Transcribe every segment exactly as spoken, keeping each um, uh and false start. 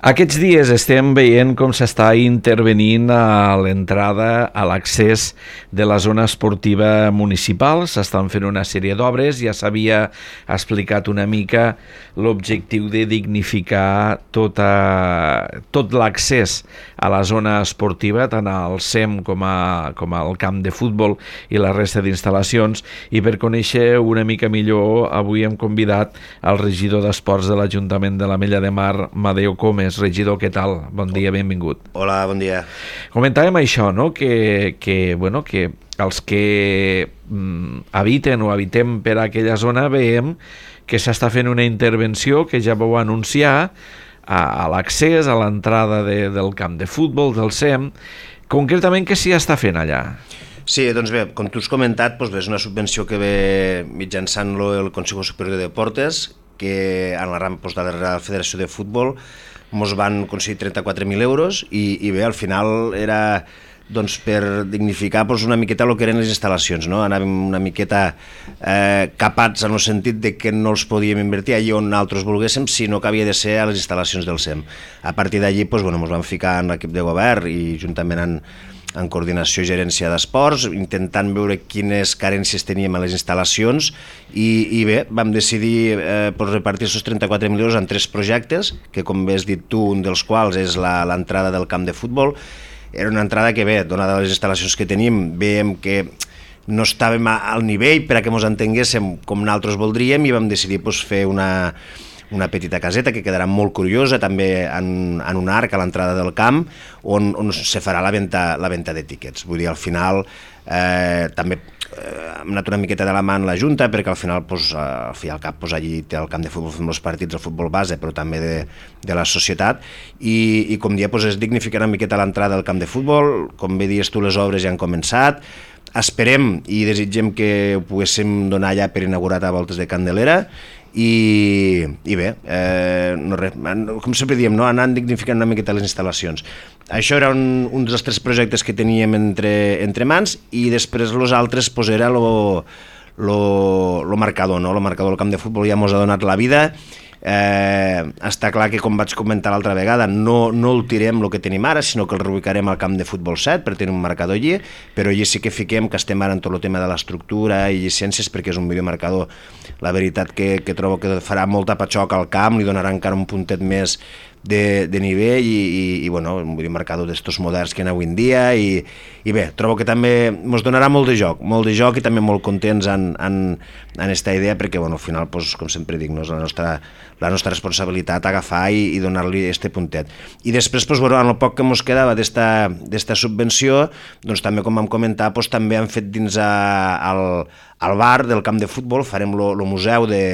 Aquests dies estem veient com s'està intervenint a l'entrada, a l'accés de la zona esportiva municipal. S'estan fent una sèrie d'obres, ja s'havia explicat una mica l'objectiu de dignificar tota, tot l'accés a la zona esportiva, tant al S E M com, a, com al camp de futbol i la resta d'instal·lacions. I per conèixer una mica millor, avui hem convidat el regidor d'Esports de l'Ajuntament de l'Ametlla de Mar, Madeo Comes. Regidor, què tal? Bon dia, benvingut. Hola, bon dia. Comentàvem això, no? Que, que, bueno, que els que mm, habiten o habitem per aquella zona veiem que s'està fent una intervenció que ja vau anunciar a, a l'accés, a l'entrada de, del camp de futbol, del S E M. Concretament, què s'hi està fent allà? Sí, doncs bé, com tu has comentat, doncs bé, és una subvenció que ve mitjançant-lo el Consejo Superior de Deportes, que en la rama doncs, de la Federació de Futbol ens van concedir trenta-quatre mil euros i, i bé, al final era doncs, per dignificar doncs, una miqueta el que eren les instal·lacions, no? Anàvem una miqueta eh, capats en el sentit de que no els podíem invertir allà on nosaltres volguéssim, sinó que havia de ser a les instal·lacions del S E M. A partir d'allí doncs, bueno, ens vam ficar en l'equip de govern i juntament amb en coordinació i gerència d'esports, intentant veure quines carències teníem a les instal·lacions i, i bé, vam decidir eh, repartir aquests trenta-quatre mil euros en tres projectes, que com bé has dit tu, un dels quals és l'entrada del camp de futbol. Era una entrada que bé, donada les instal·lacions que tenim, veiem que no estàvem al nivell per a que ens entenguéssim com nosaltres voldríem i vam decidir pues, fer una una petita caseta que quedarà molt curiosa també en, en un arc a l'entrada del camp on, on se farà la venda, la venda de tíquets. Vull dir, al final eh, també eh, hem anat una miqueta de la mà en la Junta perquè al final, pues, al fi al cap, pues, allí té el camp de futbol, fem els partits, el futbol base, però també de, de la societat i, i com dia, pues, es dignificarà una miqueta l'entrada del camp de futbol. Com bé dius tu, les obres ja han començat. Esperem i desitgem que ho poguéssim donar ja per inaugurat a voltes de Candelera i, i bé, eh, no res, com sempre diem, no? Anant dignificant una miqueta les instal·lacions. Això era un, un dels tres projectes que teníem entre, entre mans i després els altres pues, era lo, lo, lo marcador, no? Lo marcador del camp de futbol ja ens ha donat la vida. Eh, està clar que, com vaig comentar l'altra vegada, no, no el tirem el que tenim ara, sinó que el reubicarem al camp de futbol set per tenir un marcador allí, però allí sí que fiquem que estem ara en tot el tema de l'estructura i llicències perquè és un videomarcador, la veritat que, que trobo que farà molta patxoc al camp, li donarà encara un puntet més de, de nivell i, i, i bueno, un videomarcador d'estos moderns que hi ha avui en dia i, i bé, trobo que també ens donarà molt de joc, molt de joc i també molt contents en, en, en esta idea perquè bueno, al final, pues, com sempre dic, no, és la nostra, la nostra responsabilitat agafar i, i donar-li este puntet. I després, pues, bueno, en el poc que ens quedava d'esta subvenció, doncs també com vam comentar, pues, també hem fet dins a, al, al bar del camp de futbol, farem el museu de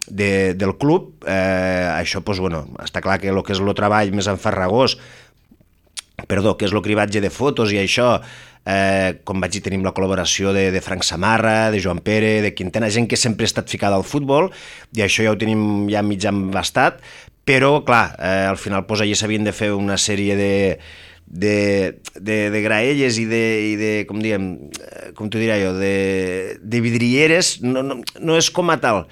De, del club, eh, això pues, bueno, està clar que el que és el treball més enfarragós, perdó, que és el cribatge de fotos i això, eh, com vaig dir, tenim la col·laboració de, de Frank Samarra, de Joan Pere, de Quintana, gent que sempre ha estat ficada al futbol i això ja ho tenim ja mig embastat, però clar, eh, al final pues, allà s'havien de fer una sèrie de de, de, de graelles i de, i de com diguem, com t'ho diré jo, de, de vidrieres, no, no, no és com a tal.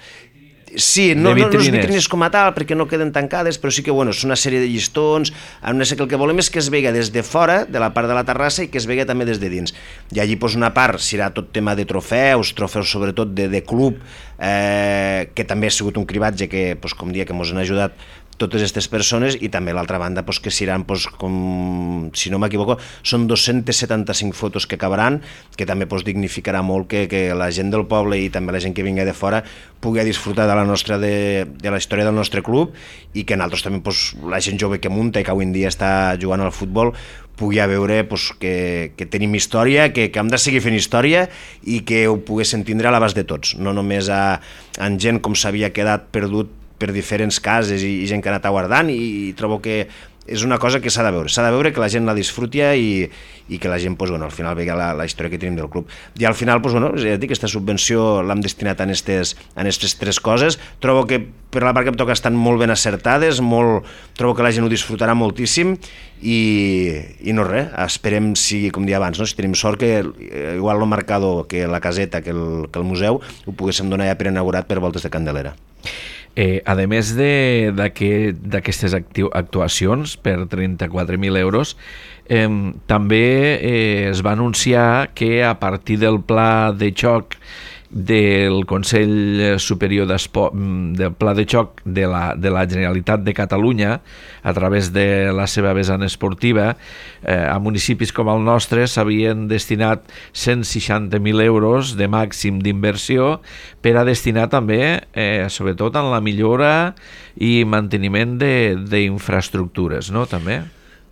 Sí, no, no, no és vitrines com a tal perquè no queden tancades, però sí que bueno, és una sèrie de llistons, no sé, que el que volem és que es vega des de fora, de la part de la terrassa i que es vega també des de dins. I allí pues, una part serà tot tema de trofeus, trofeus sobretot de, de club, eh, que també ha sigut un cribatge que, pues, com dia, que ens han ajudat totes aquestes persones i també l'altra banda pues, que seran, pues, com, si no m'equivoco, són dos-centes setanta-cinc fotos que acabaran, que també pues, dignificarà molt que, que la gent del poble i també la gent que vingui de fora pugui disfrutar de la nostra de, de la història del nostre club i que nosaltres també, pues, la gent jove que munta i que avui en dia està jugant al futbol pugui veure pues, que, que tenim història, que, que hem de seguir fent història i que ho poguéssim tindre a l'abast de tots, no només a, a gent com s'havia quedat perdut per diferents cases i, i gent que ha anat aguardant i, i trobo que és una cosa que s'ha de veure, s'ha de veure que la gent la disfruti i, i que la gent, pues, bueno, al final vegi la, la història que tenim del club. I al final, pues, bueno, ja dic, aquesta subvenció l'hem destinat en aquestes en estes tres coses. Trobo que per la part que em toca estan molt ben acertades, molt, trobo que la gent ho disfrutarà moltíssim i, i no res, esperem, si, com dia abans, no? Si tenim sort que igual el marcador, que la caseta, que el, que el museu, ho poguéssim donar ja per inaugurat per voltes de Candelera. Eh, a més d'aquestes actuacions per trenta-quatre mil euros, eh, també eh, es va anunciar que a partir del pla de xoc del Consell Superior d'Esport, del Pla de Xoc de la, de la Generalitat de Catalunya, a través de la seva vessant esportiva, eh, a municipis com el nostre s'havien destinat cent seixanta mil euros de màxim d'inversió per a destinar també, eh, sobretot, en la millora i manteniment d'infraestructures, no?, també.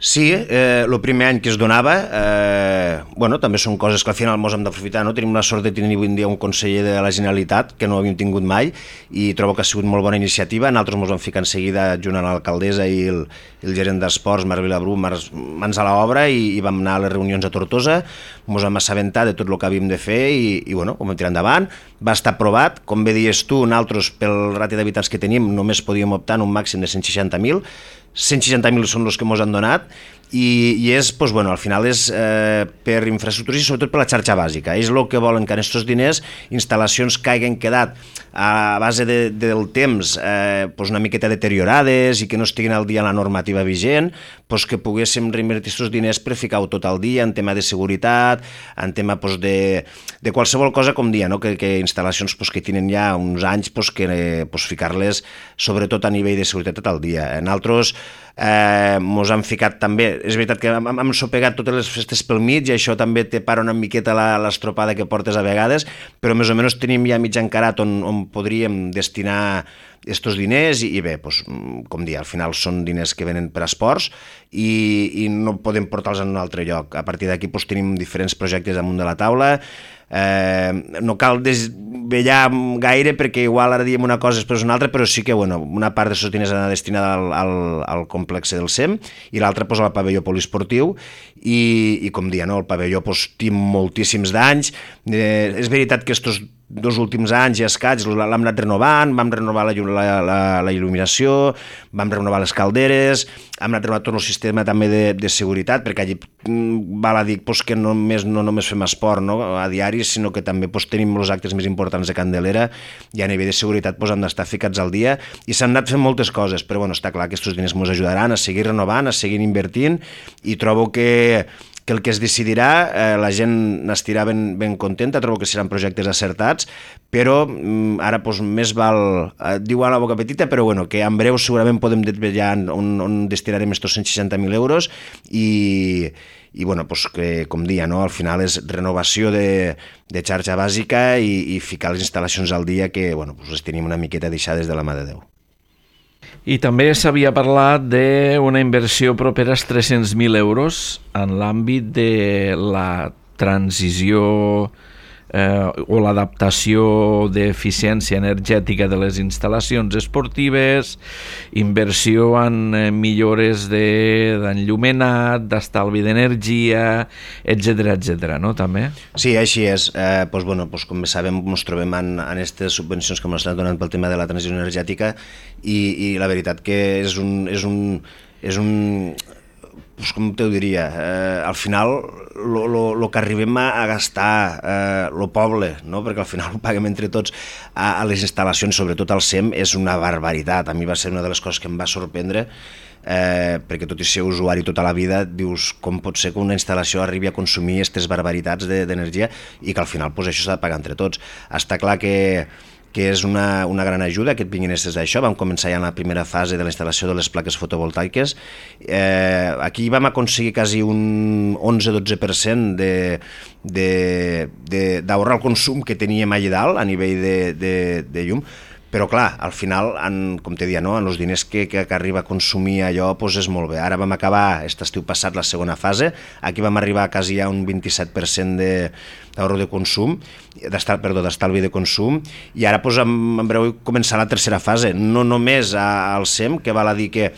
Sí, eh, el primer any que es donava, eh, bueno, també són coses que al final ens hem d'aprofitar, no? Tenim la sort de tenir avui en dia un conseller de la Generalitat, que no havíem tingut mai, i trobo que ha sigut molt bona iniciativa. Nosaltres ens vam ficar en seguida junt a l'alcaldessa i el, el gerent d'esports, Marc Vilabrú, mans a l'obra, i, i vam anar a les reunions a Tortosa, ens vam assabentar de tot el que havíem de fer i, i bueno, ho vam tirar endavant. Va estar aprovat, com bé dius tu, nosaltres, pel ràtio d'habitants que tenim, només podíem optar en un màxim de cent seixanta mil, cent seixanta mil són els que ens han donat, i, i és, doncs, bueno, al final és eh, per infraestructures i sobretot per la xarxa bàsica. És el que volen, que en aquests diners instal·lacions que hagin quedat a base de, del temps eh, doncs una miqueta deteriorades i que no estiguin al dia en la normativa vigent, doncs que poguéssim reinvertir aquests diners per ficar-ho tot al dia en tema de seguretat, en tema doncs, de, de qualsevol cosa, com dia, no? que, que instal·lacions doncs, que tenen ja uns anys, doncs, que doncs, ficar-les sobretot a nivell de seguretat tot el dia. Nosaltres eh, mos han ficat també, és veritat que hem, hem sopegat totes les festes pel mig i això també te para una miqueta l'estropada que portes a vegades, però més o menys tenim ja mig encarat on, on podríem destinar estos diners i, i bé, doncs, com dir, al final són diners que venen per a esports i, i no podem portar-los en un altre lloc. A partir d'aquí doncs, tenim diferents projectes damunt de la taula. Eh, no cal desvetllar gaire perquè igual ara diem una cosa després una altra, però sí que bueno, una part d'aquests diners ha destinada al, al, al complex del S E M i l'altra pues, al pavelló poliesportiu i, i com dia, no? El pavelló pues, té moltíssims d'anys. Eh, és veritat que estos dos últims anys i escaig l'hem anat renovant, vam renovar la, la, la, la il·luminació, vam renovar les calderes, hem anat renovant tot el sistema també de, de seguretat, perquè allí val a dir pues, que només, no només fem esport no, a diari, sinó que també pues, tenim els actes més importants de Candelera i a nivell de seguretat pues, hem d'estar ficats al dia i s'han anat fent moltes coses, però bueno, està clar que aquests diners ens ajudaran a seguir renovant, a seguir invertint i trobo que que el que es decidirà, eh, la gent n'estirà ben, ben contenta, trobo que seran projectes acertats, però mm, ara doncs, més val, eh, diu a la boca petita, però bueno, que en breu segurament podem desvetllar on, on destinarem estos cent seixanta mil euros i, i bueno, doncs que, com dia, no? Al final és renovació de, de xarxa bàsica i, i ficar les instal·lacions al dia que bueno, doncs les tenim una miqueta deixades de la mà de Déu. I també s'havia parlat d'una inversió propera als tres-cents mil euros en l'àmbit de la transició eh, o l'adaptació d'eficiència energètica de les instal·lacions esportives, inversió en eh, millores d'enllumenat, d'estalvi d'energia, etcètera, etcètera, no? També? Sí, així és. Eh, doncs, bueno, doncs, com bé sabem, ens trobem en aquestes subvencions que ens estan donant pel tema de la transició energètica i, i la veritat que és un... És un, és un pues com t'ho diria, eh, al final el que arribem a, a gastar el eh, poble, no? Perquè al final ho paguem entre tots a, a les instal·lacions, sobretot al S E M, és una barbaritat. A mi va ser una de les coses que em va sorprendre, eh, perquè tot i ser usuari tota la vida, dius com pot ser que una instal·lació arribi a consumir aquestes barbaritats d'energia i que al final pues, això s'ha de pagar entre tots. Està clar que que és una, una gran ajuda que et vinguin aquestes d'això. Vam començar ja en la primera fase de la instal·lació de les plaques fotovoltaiques. Eh, aquí vam aconseguir quasi un onze dotze per cent d'ahorrar el consum que teníem allà dalt a nivell de, de, de llum, però clar, al final, en, com te deia, no? En els diners que, que, que arriba a consumir allò doncs és molt bé. Ara vam acabar, aquest estiu passat, la segona fase, aquí vam arribar a quasi a un vint-i-set per cent d'ahorro de consum, perdó, d'estalvi de consum, i ara doncs, en, en breu començarà la tercera fase, no només al S E M, que val a dir que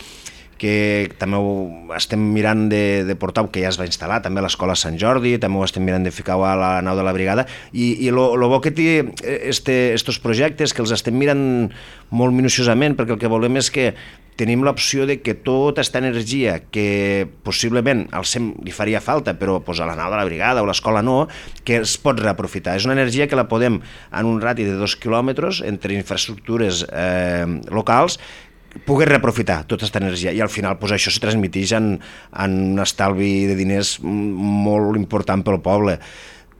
que també ho estem mirant de, de portar, que ja es va instal·lar també a l'Escola Sant Jordi, també ho estem mirant de ficar a la nau de la brigada, i, i lo, lo bo que té este, estos projectes, que els estem mirant molt minuciosament, perquè el que volem és que tenim l'opció de que tota aquesta energia que possiblement al SEM li faria falta, però pues, a la nau de la brigada o l'escola no, que es pot reaprofitar. És una energia que la podem, en un radi de dos quilòmetres, entre infraestructures eh, locals, poder reaprofitar tota aquesta energia, i al final pues, això se transmiteix en, en un estalvi de diners molt important pel poble.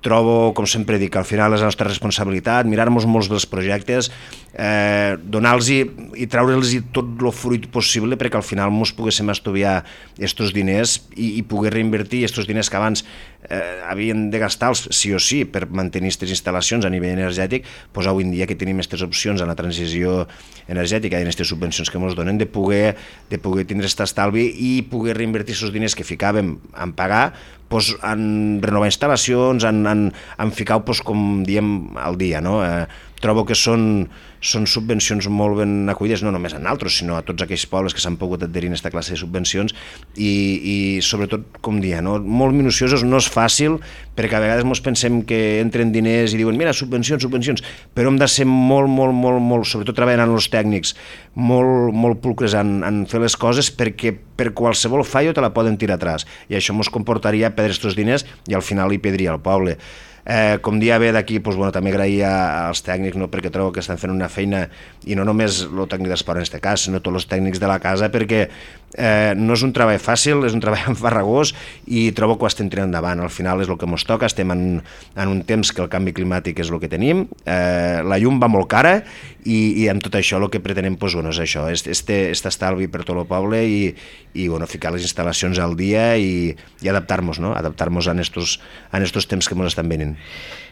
Trobo, com sempre dic, al final és la nostra responsabilitat, mirar-nos molts dels projectes, eh, donar-los i treure-los tot el fruit possible perquè al final ens poguéssim estudiar aquests diners i, i poder reinvertir aquests diners que abans eh, havien de gastar-los sí o sí per mantenir aquestes instal·lacions a nivell energètic, doncs avui en dia que tenim aquestes opcions en la transició energètica i en aquestes subvencions que ens donen de poder, de poder tindre aquest estalvi i poder reinvertir aquests diners que ficàvem en pagar pues, en renovar instal·lacions, en, en, en ficar, pues, com diem, al dia. No? Eh, trobo que són, són subvencions molt ben acollides, no només a nosaltres, sinó a tots aquells pobles que s'han pogut adherir a aquesta classe de subvencions i, i sobretot, com dia, no? Molt minuciosos, no és fàcil, perquè a vegades ens pensem que entren diners i diuen, mira, subvencions, subvencions, però hem de ser molt, molt, molt, molt, sobretot treballant amb els tècnics, molt, molt pulcres en, en fer les coses perquè per qualsevol fallo te la poden tirar atràs i això ens comportaria perdre aquests diners i al final hi perdria el poble. Eh, com dia ve d'aquí, doncs, bueno, també agrair als tècnics, no, perquè trobo que estan fent una feina, i no només el tècnic d'esport en aquest cas, sinó tots els tècnics de la casa, perquè eh, no és un treball fàcil, és un treball enfarragós i trobo que ho estem tirant endavant. Al final és el que ens toca, estem en, en un temps que el canvi climàtic és el que tenim, eh, la llum va molt cara i, i amb tot això el que pretenem doncs, bueno, és això, este, este estalvi per tot el poble i, i bueno, ficar les instal·lacions al dia i, i adaptar-nos, no? adaptar-nos a estos, a estos temps que ens estan venint.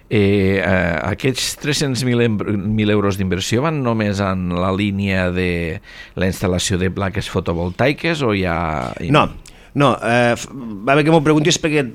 Eh, eh, aquests tres-cents mil euros d'inversió van només en la línia de la instal·lació de plaques fotovoltaiques o hi ha... No, no eh, va bé que m'ho preguntis perquè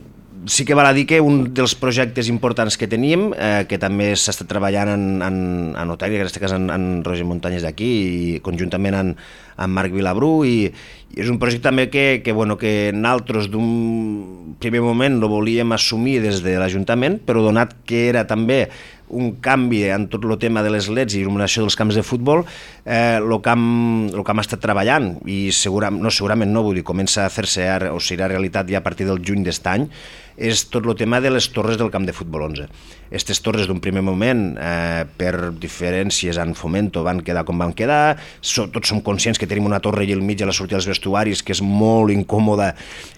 sí que val a dir que un dels projectes importants que tenim, eh, que també s'ha estat treballant en, en, en Otari, en aquest cas en, en Roger Muntanyes d'aquí, i conjuntament amb, amb Marc Vilabrú, i, i és un projecte també que, que, bueno, que nosaltres d'un primer moment lo volíem assumir des de l'Ajuntament, però donat que era també un canvi en tot el tema de les leds i il·luminació dels camps de futbol, eh, el camp, el camp ha estat treballant i segurament, no, segurament no, vull dir, comença a fer-se o serà realitat ja a partir del juny d'est any, és tot el tema de les torres del camp de futbol onze. Aquestes torres d'un primer moment, eh, per diferències en Fomento, van quedar com van quedar, so, tots som conscients que tenim una torre allà al mig a la sortida dels vestuaris que és molt incòmoda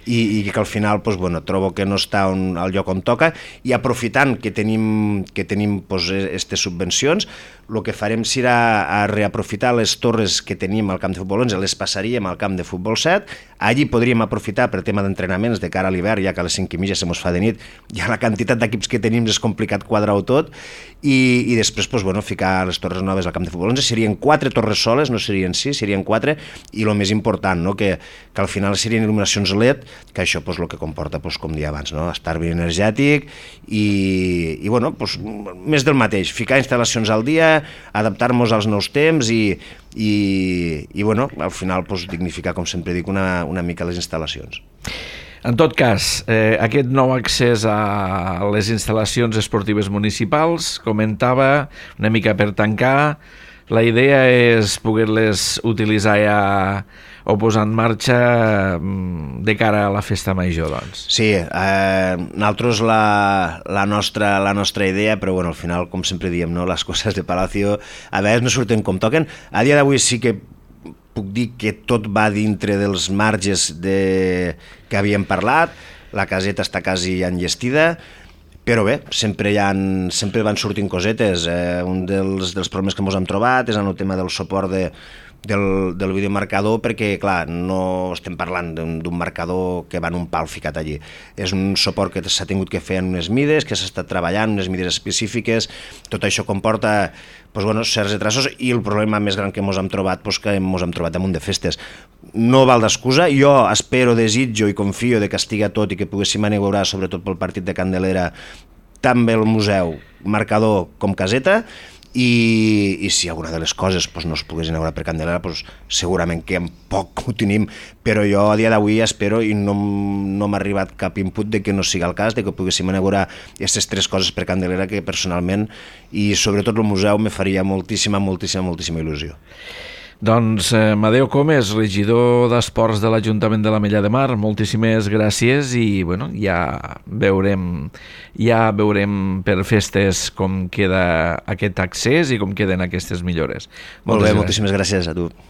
i, i que al final pues, bueno, trobo que no està on, al lloc on toca, i aprofitant que tenim, que tenim aquestes pues, subvencions, el que farem serà a reaprofitar les torres que tenim al camp de futbol onze, les passaríem al camp de futbol set, allí podríem aprofitar per tema d'entrenaments de cara a l'hivern, ja que a les cinc i mitja se mos fa de nit, ja la quantitat d'equips que tenim és complicat quadrar-ho tot, i, i després pues, bueno, ficar les torres noves al camp de futbol onze. Serien quatre torres soles, no serien sis, serien quatre, i el més important, no? que, que al final serien il·luminacions L E D, que això pues, el que comporta, pues, com dia abans, no? estalvi energètic i, i bueno, pues, més del mateix, ficar instal·lacions al dia, adaptar-nos als nous temps i, i, i bueno, al final pues, dignificar, com sempre dic, una, una mica les instal·lacions. En tot cas, eh, aquest nou accés a les instal·lacions esportives municipals, comentava, una mica per tancar, la idea és poder-les utilitzar ja o posar en marxa de cara a la festa major, doncs. Sí, eh, nosaltres la, la, nostra, la nostra idea, però bueno, al final, com sempre diem, no, les coses de Palacio a vegades no surten com toquen. A dia d'avui sí que puc dir que tot va dintre dels marges de... que havíem parlat, la caseta està quasi enllestida, però bé, sempre, hi ha, sempre van sortint cosetes. Eh, un dels, dels problemes que ens hem trobat és en el tema del suport de, del, del videomarcador, perquè clar, no estem parlant d'un marcador que va en un pal ficat allí. És un suport que s'ha tingut que fer en unes mides, que s'ha estat treballant, unes mides específiques. Tot això comporta pues, bueno, certs retrasos, i el problema més gran que ens hem trobat, pues, que ens hem trobat damunt de festes. No val d'excusa, jo espero, desitjo i confio de que estigui tot i que poguéssim inaugurar, sobretot pel partit de Candelera, també el museu, marcador com caseta, i, i si alguna de les coses pues, no es pogués inaugurar per Candelera, pues, segurament que en poc ho tenim, però jo a dia d'avui espero i no, no m'ha arribat cap input de que no sigui el cas, de que poguéssim inaugurar aquestes tres coses per Candelera que personalment i sobretot el museu me faria moltíssima, moltíssima, moltíssima il·lusió. Doncs eh, Amadeu Comes, regidor d'Esports de l'Ajuntament de l'Ametlla de Mar, moltíssimes gràcies i bueno, ja veurem ja veurem per festes com queda aquest accés i com queden aquestes millores. Molt bé, moltíssimes gràcies a tu.